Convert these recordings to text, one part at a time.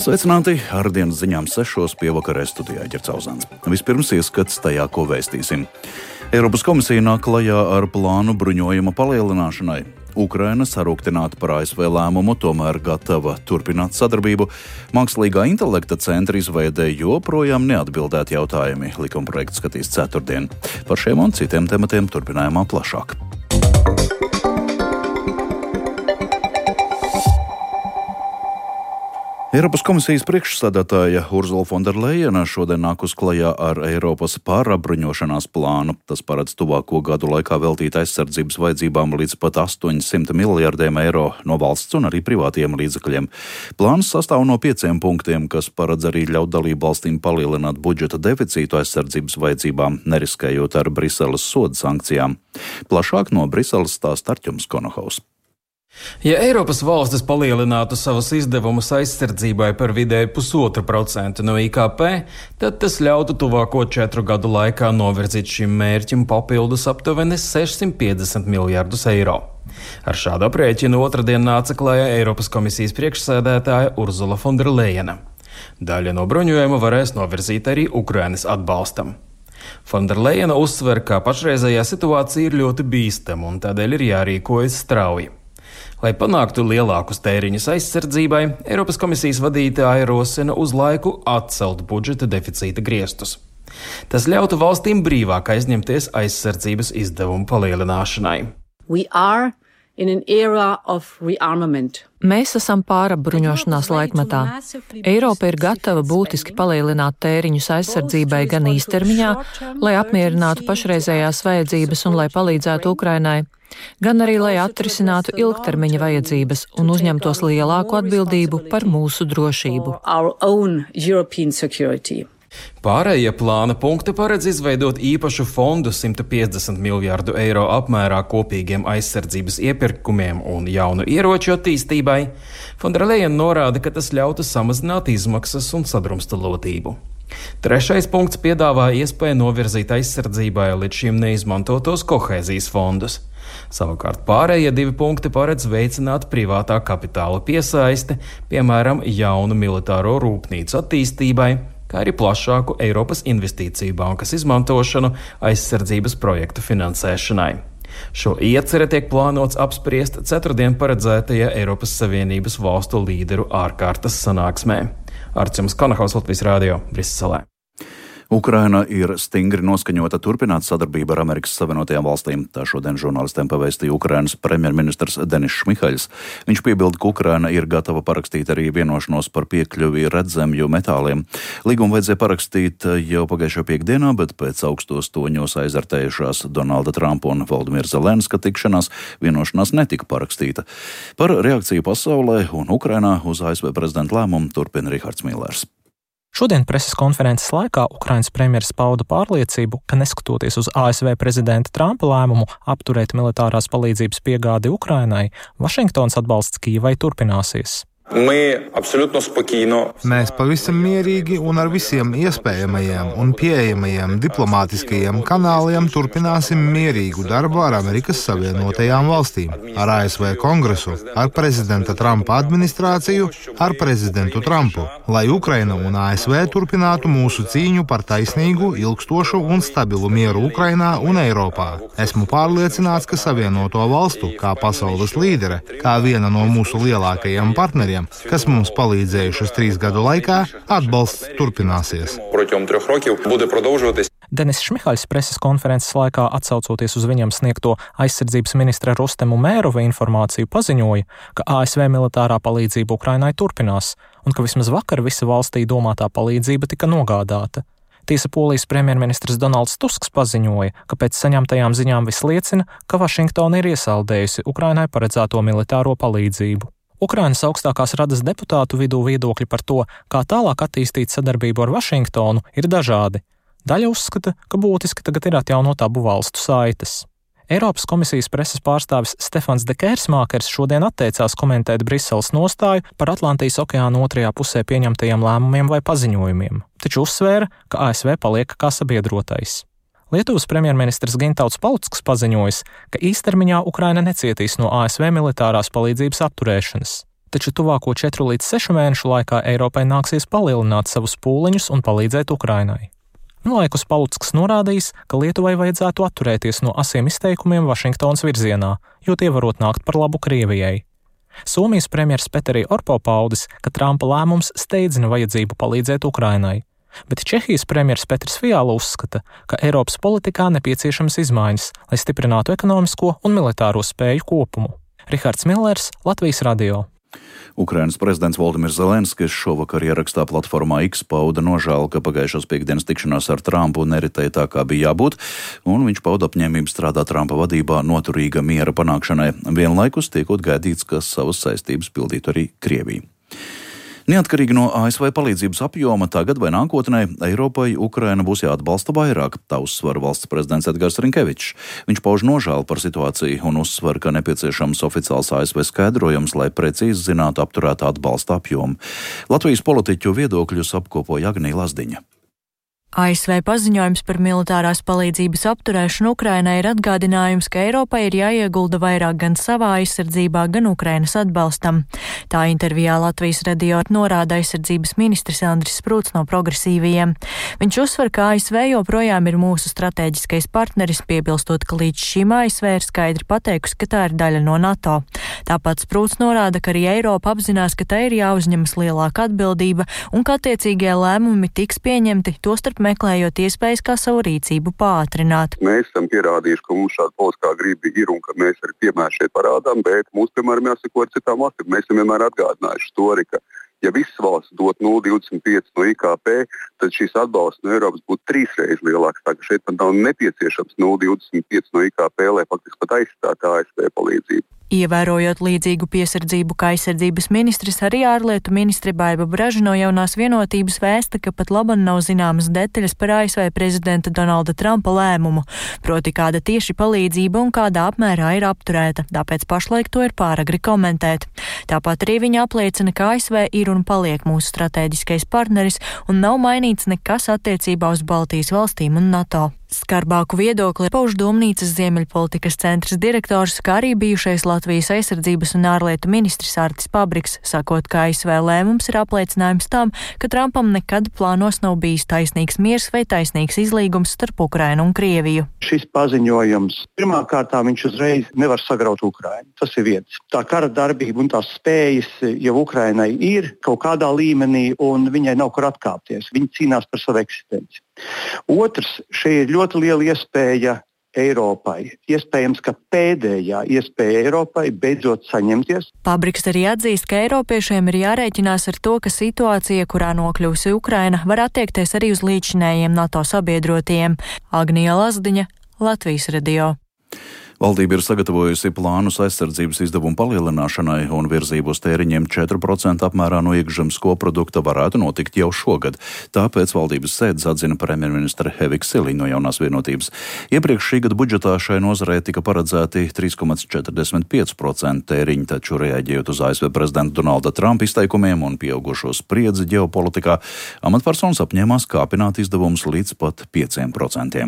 Sveicināti! Ar dienas ziņām 6 pie vakarē studijā Ģerts Auzāns. Vispirms ieskats tajā, ko vēstīsim. Eiropas komisija nāk klajā ar plānu bruņojuma palielināšanai. Ukraina sarūktināta par ASV lēmumu, tomēr gatava turpināt sadarbību. Mākslīgā intelekta centra izveidē joprojām neatbildēti jautājumi. Likumprojekts skatīs ceturtdien. Par šiem un citiem tematiem turpinājumā plašāk. Eiropas komisijas priekšsēdētāja Urzula Fonderlejena šodien nākus klajā ar Eiropas pārapbruņošanās plānu. Tas paredz tuvāko gadu laikā veltīt aizsardzības vajadzībām līdz pat 800 miljardiem eiro no valsts un arī privātiem līdzekļiem. Plāns sastāv no 5 punktiem, kas paredz arī ļaut dalību valstīm palielināt budžeta deficītu aizsardzības vajadzībām, neriskējot ar Briseles soda sankcijām. Plašāk no Briseles stāsta Artjums Konohaus. Ja Eiropas valstis palielinātu savus izdevumus aizsardzībai par vidēji 1,5% no IKP, tad tas ļautu tuvāko 4 gadu laikā novirzīt šim mērķim papildus aptuveni 650 miljardus eiro. Ar šādu aprēķinu otrdien nāca klajā Eiropas komisijas priekšsēdētāja Urzula Fonderlejena. Daļa no bruņojuma varēs novirzīt arī Ukrainas atbalstam. Fonderlejena uzsver, ka pašreizējā situācija ir ļoti bīstama un tādēļ ir jārīkojas strauji. Lai panāktu lielākus tēriņus aizsardzībai, Eiropas komisijas vadītāja rosina uz laiku atcelt budžeta deficīta griestus. Tas ļautu valstīm brīvāk aizņemties aizsardzības izdevumu palielināšanai. Mēs esam pārapbruņošanās laikmetā. Eiropa ir gatava būtiski palielināt tēriņus aizsardzībai gan īstermiņā, lai apmierinātu pašreizējās vajadzības un lai palīdzētu Ukrainai, gan arī lai atrisinātu ilgtermiņa vajadzības un uzņemtos lielāku atbildību par mūsu drošību. Pārējie plāna punkti paredz izveidot īpašu fondu 150 miljārdu eiro apmērā kopīgiem aizsardzības iepirkumiem un jaunu ieroču attīstībai. Fonderlejena norāda, ka tas ļautu samazināt izmaksas un sadrumstalotību. Trešais punkts piedāvā iespēju novirzīt aizsardzībai līdz šim neizmantotos kohēzijas fondus. Savukārt pārējie 2 punkti paredz veicināt privātā kapitāla piesaisti, piemēram, jaunu militāro rūpnīcu attīstībai, kā arī plašāku Eiropas investīciju bankas izmantošanu aizsardzības projektu finansēšanai. Šo ieceri tiek plānots apspriest ceturtdien paredzētajā Eiropas Savienības valstu līderu ārkārtas sanāksmē. Artjums Konohaus, Latvijas Rādio, Briselē. Ukraina ir stingri noskaņota turpināt sadarbību ar Amerikas Savienotajām valstīm. Tā šodien žurnālistiem pavēstīja Ukrainas premjerministrs Denis Šmihaļs. Viņš piebilda, ka Ukraina ir gatava parakstīt arī vienošanos par piekļuvi redzemju metāliem. Līgumu vajadzēja parakstīt jau pagājušo piekdienā, bet pēc augstos toņos aizartējušās Donalda Trumpa un Valdimira Zelenska tikšanās vienošanās netika parakstīta. Par reakciju pasaulē un Ukrainā uz ASV prezidenta lēmumu turpina Rihards Millers. Šodien preses konferences laikā Ukrainas premjeras pauda pārliecību, ka neskatoties uz ASV prezidenta Trumpa lēmumu apturēt militārās palīdzības piegādi Ukrainai, Vašingtons atbalsts Kijevai turpināsies. Mēs pavisam mierīgi un ar visiem iespējamajiem un pieejamajiem diplomātiskajiem kanāliem turpināsim mierīgu darbu ar Amerikas Savienotajām valstīm, ar ASV Kongresu, ar prezidenta Trumpa administrāciju, ar prezidentu Trumpu, lai Ukraina un ASV turpinātu mūsu cīņu par taisnīgu, ilgstošu un stabilu mieru Ukrainā un Eiropā. Esmu pārliecināts, ka Savienoto valstu, kā pasaules līdere, kā viena no mūsu lielākajiem partneriem, kas mums palīdzējušas 3 gadu laikā, atbalsts turpināsies. Denis Šmihaļs preses konferences laikā, atsaucoties uz viņam sniegto aizsardzības ministra Rustemu Mērova informāciju, paziņoja, ka ASV militārā palīdzība Ukrainai turpinās un ka vismaz vakar visa valstī domātā palīdzība tika nogādāta. Tiesa Polijas premjerministrs Donalds Tusks paziņoja, ka pēc saņemtajām ziņām viss liecina, ka Vašingtona ir iesaldējusi Ukrainai paredzēto militāro palīdzību. Ukrainas augstākās radas deputātu vidū viedokļi par to, kā tālāk attīstīt sadarbību ar Vašingtonu, ir dažādi. Daļa uzskata, ka būtiski tagad ir atjaunot abu valstu saites. Eiropas komisijas preses pārstāvis Stefans de Kērsmākers šodien atteicās komentēt Briseles nostāju par Atlantijas okeāna otrajā pusē pieņemtajiem lēmumiem vai paziņojumiem, taču uzsvēra, ka ASV paliek kā sabiedrotais. Lietuvas premjerministrs Gintauts Palucks paziņojis, ka īstermiņā Ukraina necietīs no ASV militārās palīdzības apturēšanas. Taču tuvāko 4 līdz 6 mēnešu laikā Eiropai nāksies palielināt savus pūliņus un palīdzēt Ukrainai. Vienlaikus Palucks norādījis, ka Lietuvai vajadzētu atturēties no asiem izteikumiem Vašingtonas virzienā, jo tie varot nākt par labu Krievijai. Somijas premjers Petteri Orpo paudis, ka Trumpa lēmums steidzina vajadzību palīdzēt Ukrainai, bet Čehijas premjers Petrs Fiala uzskata, ka Eiropas politikā nepieciešamas izmaiņas, lai stiprinātu ekonomisko un militāro spēju kopumu. Rihards Millers, Latvijas radio. Ukrainas prezidents Volodimirs Zelenskis šovakar ierakstā platformā X pauda nožēlu, ka pagājušās piekdienas tikšanās ar Trumpu neritēja tā, kā bija jābūt, un viņš pauda apņēmību strādāt Trumpa vadībā noturīga miera panākšanai, vienlaikus tiekot gaidīts, ka savas saistības pildītu arī Krievija. Neatkarīgi no ASV palīdzības apjoma tagad vai nākotnē Eiropai Ukraina būs jāatbalsta vairāk, tā uzsver valsts prezidents Edgars Rinkevičs. Viņš pauž nožēlu par situāciju un uzsver, ka nepieciešams oficiāls ASV skaidrojums, lai precīzi zinātu apturētā atbalsta apjomu. Latvijas politiķu viedokļus apkopoja Agnija Lazdiņa. ASV paziņojums par militārās palīdzības apturēšanu Ukrainai ir atgādinājums, ka Eiropai ir jāiegulda vairāk gan savā aizsardzībā, gan Ukrainas atbalstam. Tā intervijā Latvijas radio norāda aizsardzības ministrs Andris Sprūts no Progresīvajiem. Viņš uzsver, ka ASV joprojām ir mūsu strateģiskais partneris, piebilstot, ka līdz šim ASV ir skaidri pateikusi, ka tā ir daļa no NATO. Tāpat Sprūts norāda, ka arī Eiropa apzinās, ka tai ir jāuzņemas lielāka atbildība un ka attiecīgie lēmumi tiks pieņemti, tostarp meklējot iespējas, kā savu rīcību pātrināt. Mēs esam pierādījuši, ka mums šāda politiskā griba ir un ka mēs arī piemēru šeit parādām, bet mums, piemēram, jāsako ar citām valstīm. Mēs esam vienmēr atgādinājuši to arī, ka ja visas valsts dot 0,25 no IKP, tad šīs atbalsts no Eiropas būtu 3 reizes lielāks. Tā ka šeit pat nav nepieciešams 0,25 no IKP, lai faktiski pat aizstātu ASV palīdzību. Ievērojot līdzīgu piesardzību kā aizsardzības ministrs, arī ārlietu ministre Baiba Braža no Jaunās vienotības vēsta, ka pat laban nav zināmas detaļas par ASV prezidenta Donalda Trumpa lēmumu, proti kāda tieši palīdzība un kādā apmērā ir apturēta, tāpēc pašlaik to ir pāragri komentēt. Tāpat arī viņa apliecina, ka ASV ir un paliek mūsu strateģiskais partneris un nav mainīts nekas attiecībā uz Baltijas valstīm un NATO. Skarbāku viedokli pauž Domnīcas Ziemeļpolitikas centra direktors, kā arī bijušais Latvijas aizsardzības un ārlietu ministrs Artis Pabriks, sakot, ka ASV lēmums ir apliecinājums tam, ka Trumpam nekad plānos nav bijis taisnīgs miers vai taisnīgs izlīgums starp Ukrainu un Krieviju. Šis paziņojums pirmkārt viņš uzreiz nevar sagraut Ukrainu. Tas ir viens. Tā kara darbība un tās spējas jau Ukrainai ir kaut kādā līmenī un viņai nav kur atkāpties. Viņa cīnās par savu eksistenci. Otrs, šeit ir ļoti liela iespēja Eiropai. Iespējams, ka pēdējā iespēja Eiropai beidzot saņemties. Pabriks arī atzīst, ka eiropiešiem ir jārēķinās ar to, ka situācija, kurā nokļūsi Ukraina, var attiekties arī uz līdzinējiem NATO sabiedrotiem. Agnija Lazdiņa, Latvijas radio. Valdība ir sagatavojusi plānus aizsardzības izdevumu palielināšanai un virzību uz tēriņiem 4% apmērā no iekšzemes koprodukta varētu notikt jau šogad. Tāpēc valdības sēdes atzina premjerministre Hevika Siliņa no Jaunās vienotības. Iepriekš šī gada budžetā šai nozarei tika paredzēti 3,45% tēriņi, taču reaģējot uz ASV prezidenta Donalda Trumpa izteikumiem un pieaugušo spriedzi ģeopolitikā, amatpersonas apņēmās kāpināt izdevumus līdz pat 5%.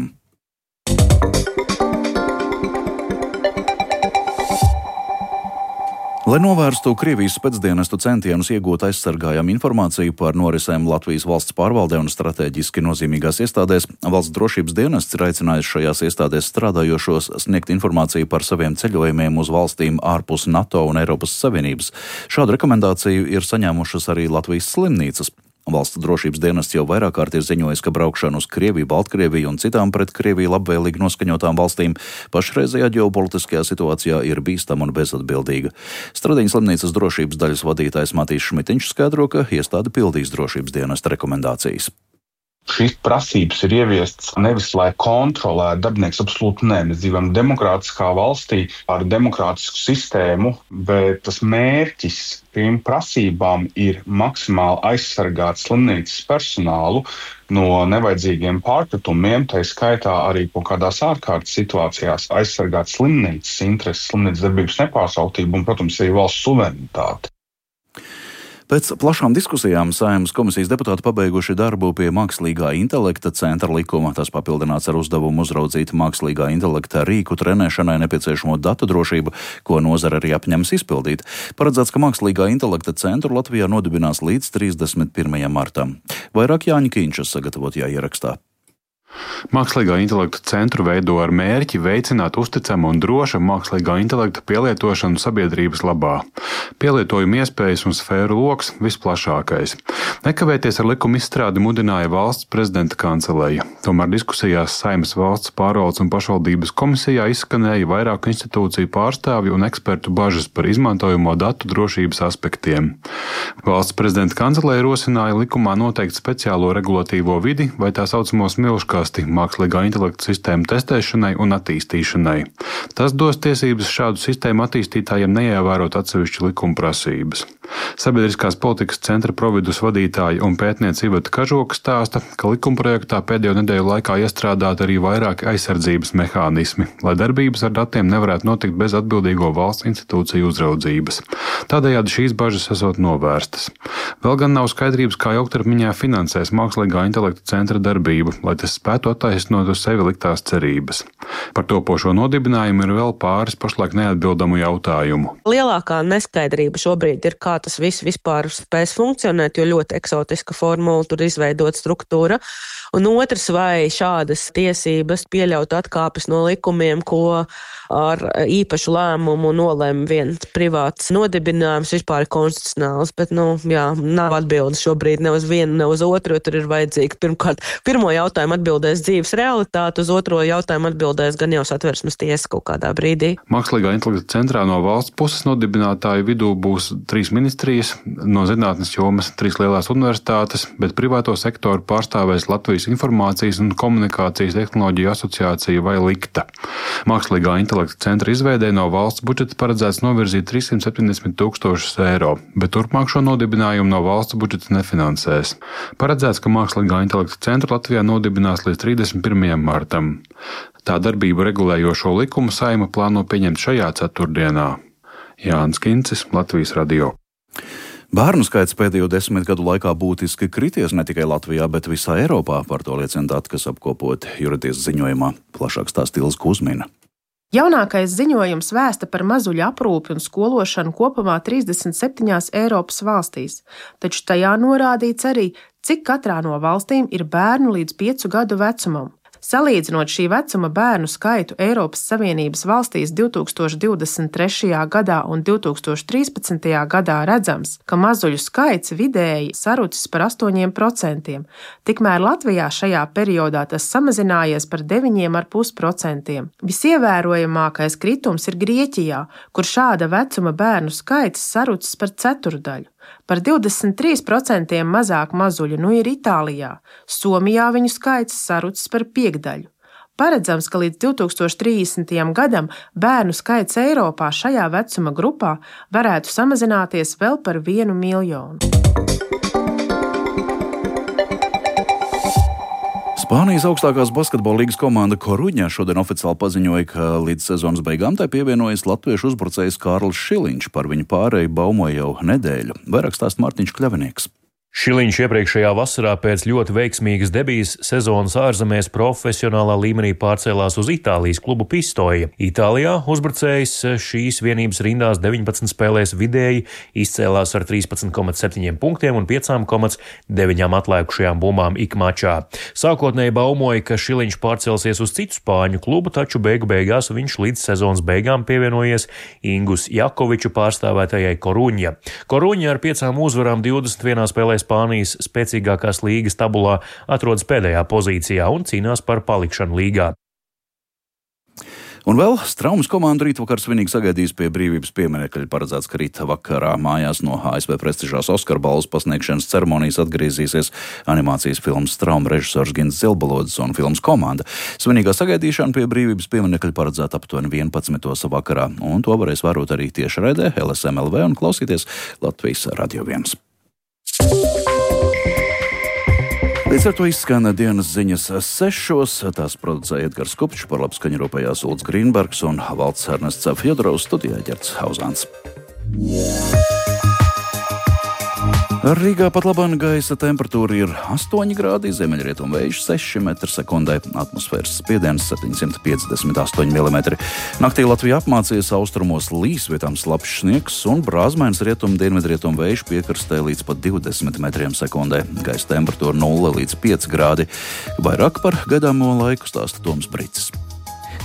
Lai novērstu Krievijas spēcdienestu centienus iegūt aizsargājamu informāciju par norisēm Latvijas valsts pārvaldē un strateģiski nozīmīgās iestādēs, valsts drošības dienests ir aicinājis šajās iestādēs strādājošos sniegt informāciju par saviem ceļojumiem uz valstīm ārpus NATO un Eiropas Savienības. Šādu rekomendāciju ir saņēmušas arī Latvijas slimnīcas. Valsts drošības dienests jau vairāk kārt ir ziņojis, ka braukšana uz Krieviju, Baltkrieviju un citām pret Krieviju labvēlīgi noskaņotām valstīm pašreizējā ģeopolitiskajā situācijā ir bīstama un bezatbildīga. Stradiņas slimnīcas drošības daļas vadītājs Matīs Šmitiņš skaidro, ka iestāde pildīs drošības dienesta rekomendācijas. Šīs prasības ir ieviestas nevis, lai kontrolētu darbinieks, absolūti nē. Mēs dzīvojam demokrātiskā valstī ar demokrātisku sistēmu, bet tas mērķis šīm prasībām ir maksimāli aizsargāt slimnīcas personālu no nevajadzīgiem pārpratumiem, tā skaitā arī kaut kādās ārkārtas situācijās aizsargāt slimnīcas intereses, slimnīcas darbības nepārsautību un, protams, arī valsts suverenitāti. Pēc plašām diskusijām Saeimas komisijas deputāti pabeiguši darbu pie mākslīgā intelekta centra likuma. Tas papildināts ar uzdevumu uzraudzīt mākslīgā intelekta rīku trenēšanai nepieciešamo datu drošību, ko nozara arī apņems izpildīt. Paredzēts, ka mākslīgā intelekta centru Latvijā nodibinās līdz 31. martam. Vairāk Jāņa Kīņšas sagatavotajā ierakstā. Mākslīgā intelekta centru veido ar mērķi veicināt uzticamu un drošu mākslīgā intelekta pielietošanu sabiedrības labā. Pielietojuma iespējas un sfēru loks visplašākais. Nekavēties ar likuma izstrādi mudināja valsts prezidenta kanceleja. Tomēr diskusijās Saeimas valsts pārvaldes un pašvaldības komisijā izskanēja vairāku institūciju pārstāvju un ekspertu bažas par izmantojamo datu drošības aspektiem. Valsts prezidenta kanceleja rosināja likumā noteikt speciālo regulatīvo vidi vai tā saucamo smilškā mākslīgā intelekta sistēmu testēšanai un attīstīšanai. Tas dos tiesības šādu sistēmu attīstītājiem neievērot atsevišķu likuma prasības. Sabiedriskās politikas centra providus vadītāja un pētniece Iveta Kažoka stāsta, ka likumprojektā pēdējo nedēļu laikā iestrādāti arī vairāki aizsardzības mehānismi, lai darbības ar datiem nevarētu notikt bez atbildīgo valsts institūciju uzraudzības. Tādējādi šīs bažas esot novērstas. Vēl gan nav skaidrības, kā ilgtermiņā finansēs mākslīgā intelekta centra darbību, lai tas spētu attaisnot uz sevi liktās cerības. Par topošo nodibinājumu ir vēl pāris pašlaik neatbildamu jautājumu. Lielākā neskaidrība šobrīd ir, kā tas viss vispār spēs funkcionēt, jo ļoti eksotiska formula tur izveidot struktūra. Un otrs, vai šādas tiesības pieļaut atkāpes no likumiem, ko ar īpašu lēmumu nolēma viens privāts nodibinājums, vispār ir konstitucionāls, bet, nav atbildes šobrīd ne uz vienu, ne uz otru, jo tur ir vajadzīga pirmkārt pirmo jautājumu atbildēs dzīves realitāte, uz otro jautājumu atbildēs gan jau Satversmes tiesa kaut kādā brīdī. Mākslīgā intelekta centrā no valsts puses nodibinātāju vidū būs 3 ministrijas, no zinātnes jomas 3 lielās universitātes, bet privāto sektoru pārstāvēs Latvijas Informācijas un komunikācijas tehnoloģiju asociācija vai LIKTA. Mākslīgā intelekta centra izveidē no valsts budžeta paredzēts novirzīt 370 000 eiro, bet turpmāk šo nodibinājumu no valsts budžeta nefinansēs. Paredzēts, ka mākslīgā intelekta centru Latvijā nodibinās līdz 31. martam. Tā darbību regulējošo likumu Saeima plāno pieņemt šajā ceturtdienā. Jānis Kincis, Latvijas radio. Bērnu skaits pēdējo 10 gadu laikā būtiski krities ne tikai Latvijā, bet visā Eiropā. Par to liecina dati, kas apkopoti Juratiesas ziņojumā. Plašāk stāsta Ilze Kuzmina. Jaunākais ziņojums vēsta par mazuļu aprūpi un skološanu kopumā 37 Eiropas valstīs, taču tajā norādīts arī, cik katrā no valstīm ir bērnu līdz 5 gadu vecumam. Salīdzinot šī vecuma bērnu skaitu Eiropas Savienības valstīs 2023. gadā un 2013. gadā redzams, ka mazuļu skaits vidēji sarucis par 8%, tikmēr Latvijā šajā periodā tas samazinājies par 9,5%. Visievērojamākais kritums ir Grieķijā, kur šāda vecuma bērnu skaits sarucis par ceturdaļu. Par 23% mazāk mazuļu ir Itālijā, Somijā viņu skaits sarucis par 5%. Paredzams, ka līdz 2030. gadam bērnu skaits Eiropā šajā vecuma grupā varētu samazināties vēl par 1 miljonu. Spānijas augstākās basketbola līgas komanda Koruņa šodien oficiāli paziņoja, ka līdz sezonas beigām tai pievienojas latviešu uzbrucējs Kārlis Šiliņš. Par viņu pārēju baumoja jau nedēļu. Vairāk stāsta Mārtiņš Kļavinieks. Šiliņš iepriekšējā vasarā pēc ļoti veiksmīgas debijas sezonas ārzemēs profesionālā līmenī pārcēlās uz Itālijas klubu Pistoja. Itālijā uzbrucējs šīs vienības rindās 19 spēlēs vidēji izcēlās ar 13,7 punktiem un 5,9 atlēkušajām bumbām ik mačā. Sākotnēji baumoja, ka Šiliņš pārcelsies uz citu spāņu klubu, taču beigu beigās viņš līdz sezonas beigām pievienojies Ingus Jakoviču pārstāvētajai Koruņa. Koruņa ar 5 uzvarām 21 spēlē Spānijas spēcīgākās līgas tabulā atrodas pēdējā pozīcijā un cīnās par palikšanu līgā. Un vēl Straumes komanda rītvakar svinīgi sagaidīs pie brīvības pieminekļa. Paredzēts, ka rīt vakarā mājās no ASV prestižās Oskara balvas pasniegšanas ceremonijas atgriezīsies animācijas filmas Strauma režisors Gins Zilbalodis un filmas komanda. Svinīgā sagaidīšana pie brīvības pieminekļa paredzēta aptuveni 11. vakarā, un to varēs vērot arī tiešraidē LSM LV un klausīties Latvijas Radio 1. Līdz ar to izskan dienas ziņas 6. Tās producēja Edgars Kupčs, par labskaņu rūpējās Ulds Grīnbergs un Valds Ernests Fjodorovs, studijā Ģerts Hauzāns. Rīgā pat labāk gaisa temperatūra ir 8 grādi, ziemeļrietumu vējš 6 m/sekundē, atmosfēras spiediens 758 mm. Naktī Latvija apmācījies, austrumos līs, vietām slapjš sniegs un brāzmains rietumu-dienvidrietumu vējš piekrastē līdz pat 20 m/sekundē. Gaisa temperatūra 0 līdz 5 grādi. Vairāk par gaidāmo laiku stāsta Toms Brīcis.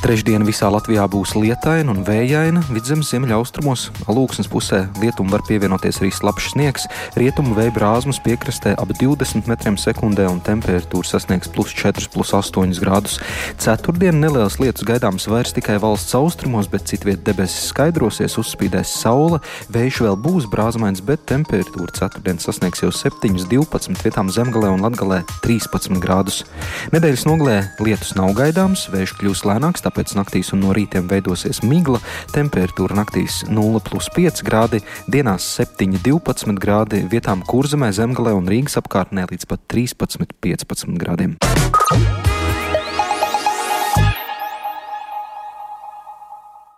Trešdiena visā Latvijā būs lietaina un vējaina, vidzemes ziemeļaustrumos. Alūksnes pusē lietum var pievienoties arī slapjš sniegs, rietumu vēja brāzmas piekrastē ap 20 m/sekundē un temperatūra sasniegs +4, +8 grādus. Ceturtdien nelielas lietus gaidāms vairs tikai valsts austrumos, bet citviet debesis skaidrosies, uzspīdēs saule, vējš vēl būs brāzmains, bet temperatūra ceturtdien sasniegs jau 7-12, vietām Zemgalē un Latgalē 13 grādus. Nedēļas nogalē lietus nav gaidāms, vējš kļūs lēnāks, tāpēc naktīs un no rītiem veidosies migla, temperatūra naktīs 0+5 grādi, dienās 7-12 grādi, vietām Kurzemē, Zemgalē un Rīgas apkārtnē līdz pat 13-15 grādiem.